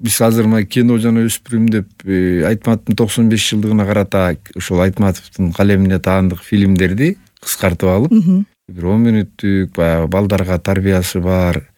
биз азыр мына кино жана өспүрүм деп Айтматовдун 95 жылдыгына карата ошол Айтматовдун калемине таандык фильмдерди кыскартып алып, бир 10 мүнөттүк баягы балдарга тарбиясы бар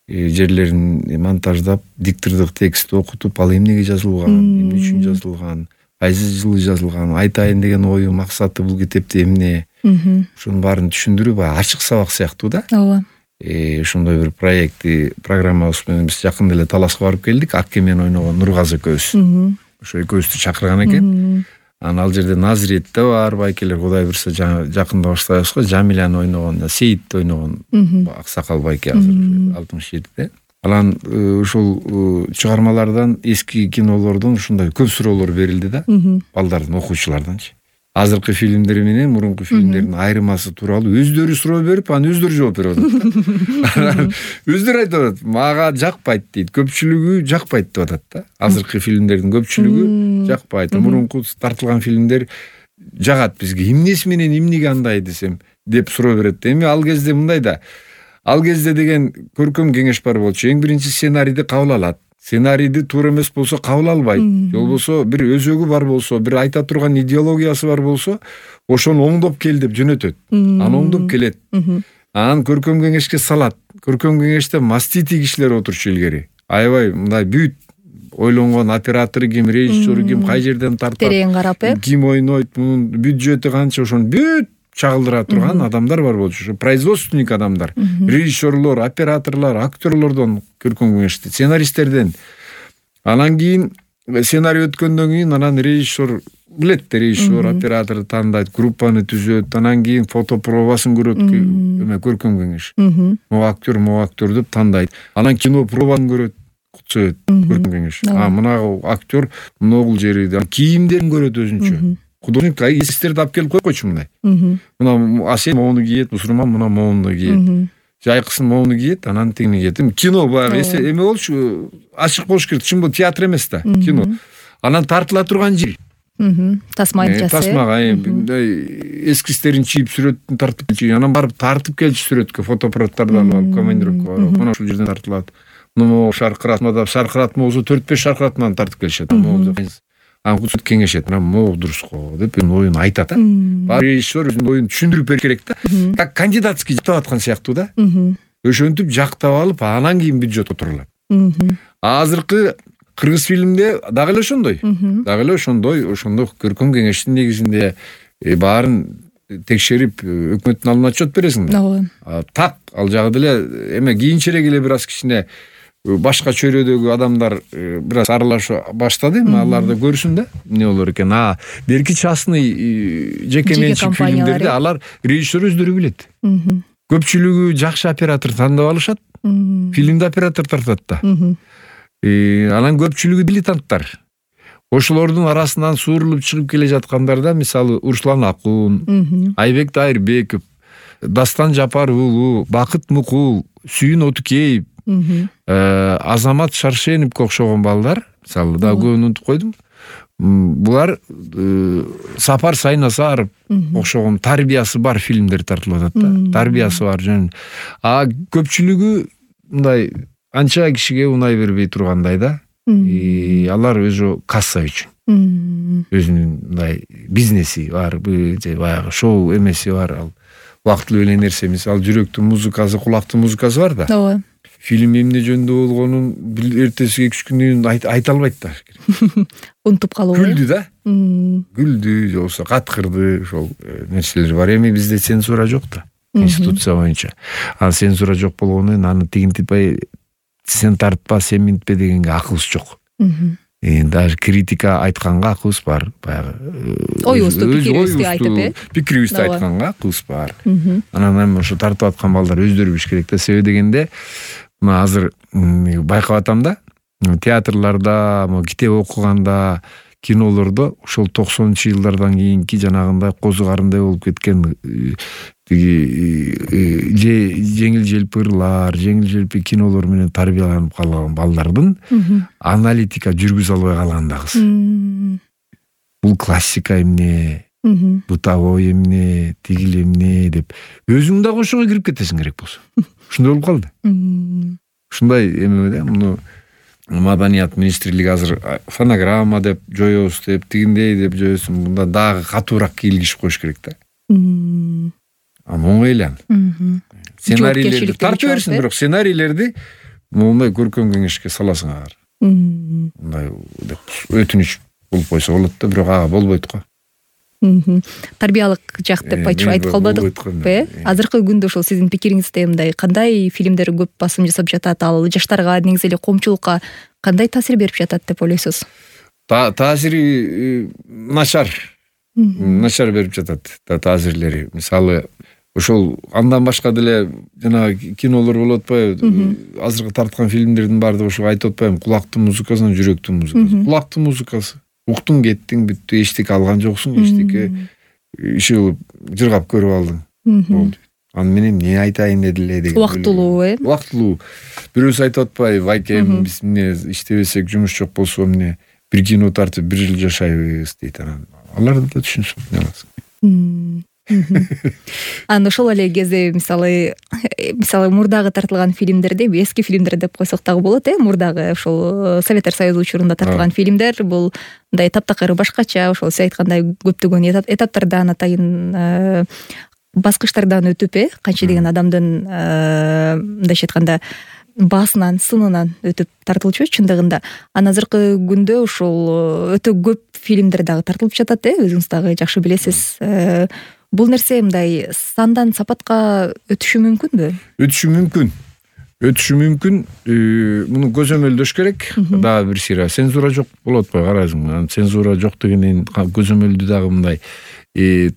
жерлерин монтаждап, диктордук текстти окутуп, ал эмнеге жазылган, эмне үчүн жазылган, кайсы жылы жазылган, айтайын деген ою, максаты бул китепте эмне, ошонун баарын түшүндүрүп, ачык сабак сыяктуу да. Ооба. Ошондой бир программабыз менен биз жакында эле Таласка барып келдик. Акке менен ойногон Нургазы экөөбүз. Ошо экөөбүздү чакырган экен. Ал жерде Назирет да бар, байкелер, Кудай буюрса жакында баштайбыз го. Жамиляны ойногон, Сейитти ойногон аксакал байке азыр 67-де. Анан ушул чыгармалардан, эски кинолордон ушундай көп суроолор берилди да, балдардын, окуучуларданчы. Азыркы фильмдер менен мурунку фильмдердин айырмасы тууралуу өздөрү суроо берип, анан өздөрү жооп берип атат. Өздөрү айтып атат, мага жакпайт дейт, көпчүлүгү жакпайт деп атат да. Азыркы фильмдердин көпчүлүгү жакпайт. Мурунку тартылган фильмдер жагат бизге. Эмнеси менен эмнеге андай десем деп суроо берет. Эми ал кезде мындай да. Ал кезде деген көркөм кеңеш бар болчу. Эң биринчи сценарийди кабыл алат. Сценарийди туура эмес болсо кабыл албайт. Же болбосо бир өзөгү бар болсо, бир айта турган идеологиясы бар болсо, ошону оңдоп кел деп жөнөтөт. Аны оңдоп келет. Анан көркөм кеңешке салат. Көркөм кеңеште мастити кишилер отурчу илгери. Аябай мындай бүт ойлонгон оператору ким, режиссеру ким, кай жерден тартат, терең карап, ким ойнойт, мунун бюджети канча, ошону бүт чагылдыра турган адамдар бар болчу. Производственник адамдар, режиссерлор, операторлор, актерлордон көркөм кеңеште, сценаристтерден. Анан кийин сценарий өткөндөн кийин анан режиссер билет, режиссер, оператор тандайт, группаны түзөт, анан кийин фотопробасын көрөт, көркөм кеңеш. Могу актер деп тандайт. Анан кино пробасын көрөт, совет көркөм кеңеш. Мына актер могул жери, кийимдерин көрөт өзүнчө. Художник эстерди алып келип койчу мындай. Мына Асен моуну кийет, Усурман мына моуну кийет. Жайкысын моуну кийет, анан тигини кийет. Кино баягы эме болчу, ачык болуш керек. Чын бул театр эмес да, кино. Анан тартыла турган жер. Тасмага эскизтерин чийип, сүрөтүн тартып келчү. Анан барып тартып келчү сүрөткө, фотоаппараттардан алып, командировкага барып, мына ушул жерден тартылат. Мына шаркыратма болсо 4-5 шаркыратманы тартып келишет. Анан кеңешет, мына могу дурус го деп оюн айтат. Режиссер өзүнүн оюн түшүндүрүп бериш керек да. Как кандидатский жактап аткан сыяктуу да. Ошентип жактап алып, анан кийин бюджет отурулат. Азыркы кыргыз фильмде дагы эле ошондой. Ошондой көркөм кеңештин негизинде баарын текшерип, өкмөттүн алдына отчет бересиң да. Так, ал жагы деле эме кийинчерээк эле бир аз кичине башка чөйрөдөгү адамдар бир аз аралаша баштады, алар да көрсүн да эмне болор экен. Берки частный жеке менчик фильмдерде алар режиссер өздөрү билет. Көпчүлүгү жакшы оператор тандап алышат, фильмде оператор тартат да. Анан көпчүлүгү дилетанттар. Ошолордун арасынан суурулуп чыгып келе жаткандарда, мисалы, Урслан Акун, Айбек Дайырбеков, Дастан Жапар уулу, Бакыт Мукул, Сүйүн Отукеев, Азамат Шаршеновго окшогон балдар, мисалы, да көбүн унутуп койдум. Булар Сапар Сайнасаров окшогон тарбиясы бар фильмдер тартылып атат да. Тарбиясы бар жөн. Көпчүлүгү мындай анча кишиге унай бербей тургандай да. Алар өзү касса үчүн. Өзүнүн мындай бизнеси бар, баягы шоу эмеси бар, ал убактылуу эле нерсе эмес. Ал жүрөктүн музыкасы, кулактын музыкасы бар да. Ооба. Фильм эмне жөнүндө болгонун эртеси 2 күнүн айта албайт да. Унутуп калуу. Күлдү да. Күлдү, же болбосо каткырды, ошол нерселер бар. Эми бизде цензура жок да. Конституция боюнча. Цензура жок болгондон аны тигинтипай сен тартпа, сен минтпе дегенге акыбыз жок. Даже критика айтканга акыбыз бар. Оюбузду, пикирибизди айтканга акыбыз бар. Анан эми ошо тартып аткан балдар өздөрү билиш керек да. Себеби дегенде мына азыр байкап атам да, театрларда, китеп окуганда, кинолордо ошол 90-жылдардан кийинки жанагындай козу карындай болуп кеткен жеңил желпи кинолор менен тарбияланып калган балдардын аналитика жүргүзө албай калган да кыз. Бул классика эмне, бытовой эмне, тигил эмне деп өзүң дагы ошого кирип кетесиң керек болсо. Ушундай болуп калды. Ушундай эме да, муну Маданият министрлиги азыр фонограмма деп жоебуз деп, тигиндей деп жоебуз, мында дагы катуураак кийлигиш коюш керек да. Оңой эле аны. Сценарийлерди тартып берсин, бирок сценарийлерди мондай көркөм кеңешке саласың агар. Мындай деп өтүнүч болуп койсо болот да, бирок ага болбойт го. Тарбиялык жак деп айтып калбадыкпы? Азыркы күндө ошол сиздин пикириңизде мындай кандай фильмдер көп басым жасап жатат, ал жаштарга, негизи эле коомчулукка кандай таасир берип жатат деп ойлойсуз? Таасири начар берип жатат таасирлери. Мисалы, ошол андан башка деле жанагы кинолор болуп атпайбы? Азыркы тарткан фильмдердин баардыгы ошо айтып атпаймынбы? Кулактын музыкасынан жүрөктүн музыкасы. Кулактын музыкасы. Уктуң, кеттиң, бүттү, эчтеке алган жоксуң, эчтеке иши кылып жыргап көрүп алдың. Болду. Аны менен эмне айтайын эле деген. Убактылуу, Убактылуу. Бирөөсү айтып атпайбы? Айкем, биз эмне иштебесек, жумуш жок болсо эмне бир кино тартып бир жыл жашайбыз дейт. Алар да түшүнсүн аласың. Анан ошол эле кезде мисалы мурдагы тартылган фильмдерде, эски фильмдер деп койсок дагы болот, мурдагы ошол Советтер Союзу учурунда тартылган фильмдер бул мындай таптакыр башкача, ошол сиз айткандай көптөгөн этаптардан, атайын баскычтардан өтүп, канча деген адамдын мындайча айтканда баасынан, сынынан өтүп тартылчу чындыгында. Анан азыркы күндө ошол өтө көп фильмдер дагы тартылып жатат, өзүңүз дагы жакшы билесиз. Бул нерсе мындай сандан сапатка өтүшү мүмкүнбү? Өтүшү мүмкүн. Муну көзөмөлдөш керек. Дагы бир сыйра цензура жок болот атпайбы, карайсың. Цензура жок дегенден көзөмөлдү дагы мындай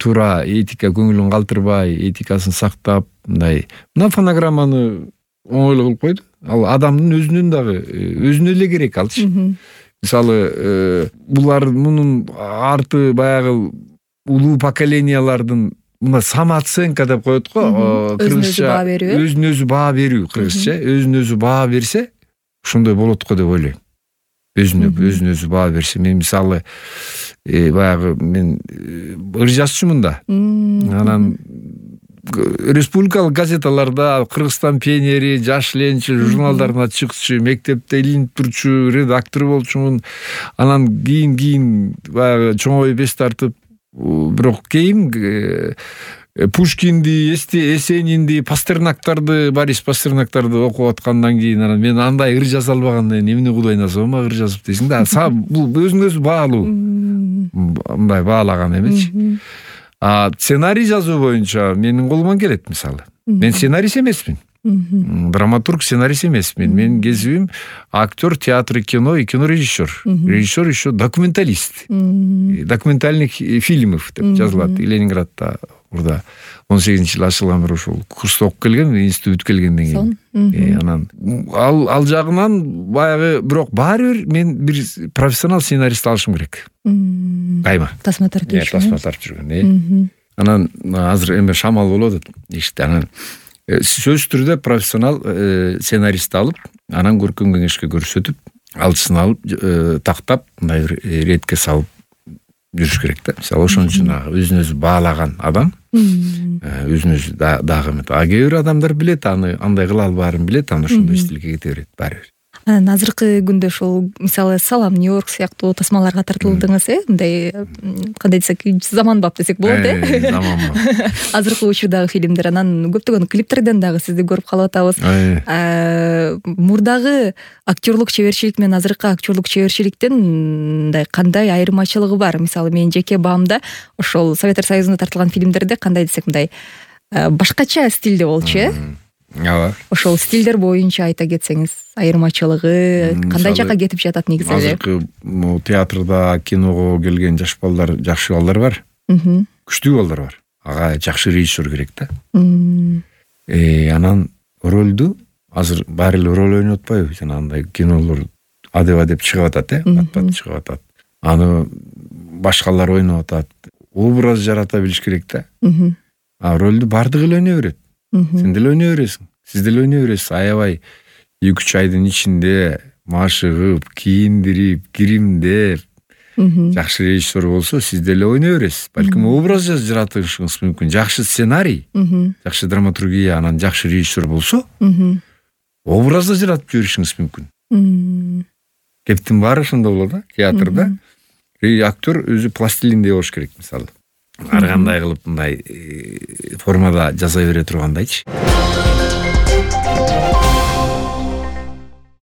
туура этика көңүлүн калтырбай, этикасын сактап, мындай мына фонограмманы оңойлуу кылып койду. Ал адамдын өзүнө эле керек алчы. Мисалы, булар мунун арты баягы улуу поколениялардын мына самооценка деп коет го, кыргызча өзүнө өзү баа берүү, кыргызча өзүнө өзү баа берсе, ошондой болот го деп ойлойм. Өзүнө өзү баа берсе, мен мисалы баягы мен ыр жазчумун да. Анан республикалык газеталарда Кыргызстан пионери, Жаш ленчил журналдарына чыкчу, мектепте илинип турчу, редактор болчумун. Анан кийин баягы чоңоюп эс тартып, бирок кийин Пушкинди, Эсенинди, Пастернактарды, Борис Пастернактарды окуп аткандан кийин анан мен андай ыр жаза албагандан кийин эмне Кудайына сома ыр жазып дейсиң да. Бул өзүңө өзү баалуу. Мындай баалаган эмесчи. Сценарий жазуу боюнча менин колуман келет, мисалы. Мен сценарист эмесмин. Драматург, сценарист эмесмин. Менин кесибим актер, театр, кино и кинорежиссер. Режиссер еще документалист. Документальных фильмов деп жазылат. Ленинградда урда 18-жылы ачылган бир ошол курста окуп келген, институт келгенден кийин. Анан ал жагынан баягы, бирок баары бир мен бир профессионал сценарист алышым керек. Кайма. Тасма тартып жүргөн. Тасма тартып жүргөн. Анан азыр эме шамал болуп атат. Иште анан сөзсүз түрдө профессионал сценарист алып, анан көркөм кеңешке көрсөтүп, алчысын алып, тактап, мындай ретке салып жүрүш керек да. Мисалы, ошон үчүн өзүн өзү баалаган адам, өзүн өзү дагы эмет. Кээ бир адамдар билет, аны андай кыла албаарын билет, аны ошондой стилге кете берет баары бир. Анан азыркы күндө ошол мисалы Салам Нью-Йорк сыяктуу тасмаларга тартылдыңыз, мындай кандай десек, заманбап десек болот, заманбап. Азыркы учурдагы фильмдер, анан көптөгөн клиптерден дагы сизди көрүп калып атабыз. Мурдагы актерлук чеберчилик менен азыркы актерлук чеберчиликтин мындай кандай айырмачылыгы бар? Мисалы, менин жеке баамда ошол Советтер Союзунда тартылган фильмдерде кандай десек, мындай башкача стилде болчу, Ошол стилдер боюнча айта кетсеңиз, айырмачылыгы кандай жакка кетип жатат негизи эле? Азыркы театрда, киного келген жаш балдар, жакшы балдар бар. Күчтүү балдар бар. Ага жакшы режиссер керек да. Анан ролду азыр баары эле роль ойноп атпайбы? Жанагындай кинолор адеп чыгып атат, бат чыгып атат. Аны башкалар ойноп атат. Образ жарата билиш керек да. Ролду бардыгы эле ойной берет. Сен деле ойной бересиң. Сиз деле ойной бересиз. Аябай 2-3 айдын ичинде машыгып, кийиндирип, киримдеп, жакшы режиссер болсо, сиз деле ойной бересиз. Балким образ жаратышыңыз мүмкүн. Жакшы сценарий, жакшы драматургия, анан жакшы режиссер болсо, образды жаратып жиберишиңиз мүмкүн. кептин баары ошондо болот да, театрда. Актер өзү пластилиндей болуш керек, мисалы. Ар кандай кылып мындай формада жасай бере тургандайчы.